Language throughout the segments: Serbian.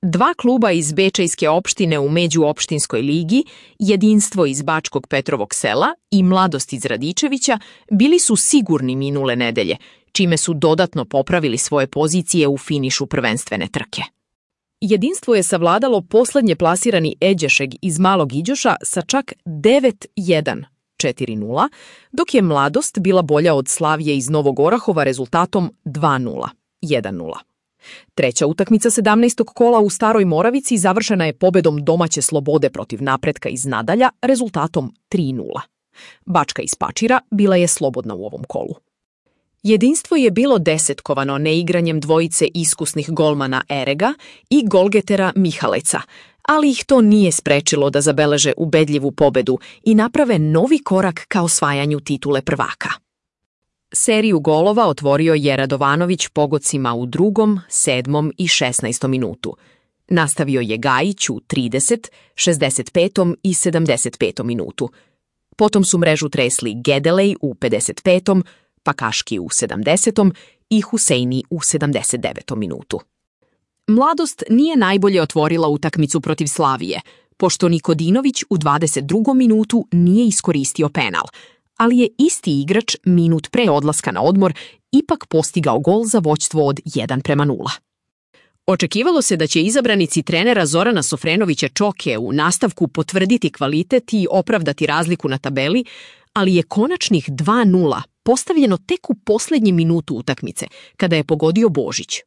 Dva kluba iz Bečejske opštine u međuopštinskoj ligi, Jedinstvo iz Bačkog Petrovog sela i Mladost iz Radičevića, bili su sigurni minule nedelje, čime su dodatno popravili svoje pozicije u finišu prvenstvene trke. Jedinstvo je savladalo poslednje plasirani Eđešeg iz Malog Iđoša sa čak 9-1, 4-0, dok je Mladost bila bolja od Slavije iz Novog Orahova rezultatom 2-0, 1-0. Treća utakmica 17. kola u Staroj Moravici završena je pobedom domaće Slobode protiv Napretka iz Nadalja rezultatom 3-0. Bačka iz Pačira bila je slobodna u ovom kolu. Jedinstvo je bilo desetkovano neigranjem dvojice iskusnih golmana Erega i golgetera Mihaleca, ali ih to nije sprečilo da zabeleže ubedljivu pobedu i naprave novi korak ka osvajanju titule prvaka. Seriju golova otvorio je Radovanović pogodcima u 2., 7. i 16. minutu. Nastavio je Gajić u 30., 65. i 75. minutu. Potom su mrežu tresli Gedelej u 55., Pakaški u 70. i Huseini u 79. minutu. Mladost nije najbolje otvorila utakmicu protiv Slavije, pošto Nikodinović u 22. minutu nije iskoristio penal, ali je isti igrač minut pre odlaska na odmor ipak postigao gol za vođstvo od 1-0. Očekivalo se da će izabranici trenera Zorana Sofrenovića Čoke u nastavku potvrditi kvalitet i opravdati razliku na tabeli, ali je konačnih 2-0 postavljeno tek u poslednjem minutu utakmice, kada je pogodio Božić.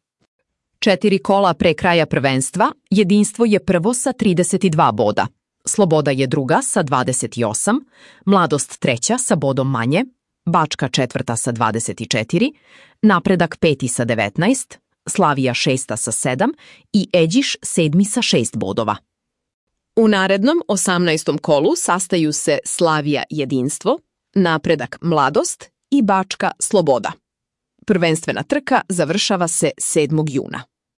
4 kola pre kraja prvenstva, Jedinstvo je prvo sa 32 boda, Sloboda je druga sa 28, Mladost treća sa bodom manje, Bačka četvrta sa 24, Napredak peti sa 19, Slavija šesta sa 7 i Eđiš sedmi sa 6 bodova. U narednom 18. kolu sastaju se Slavija Jedinstvo, Napredak Mladost i Bačka Sloboda. Prvenstvena trka završava se 7. juna.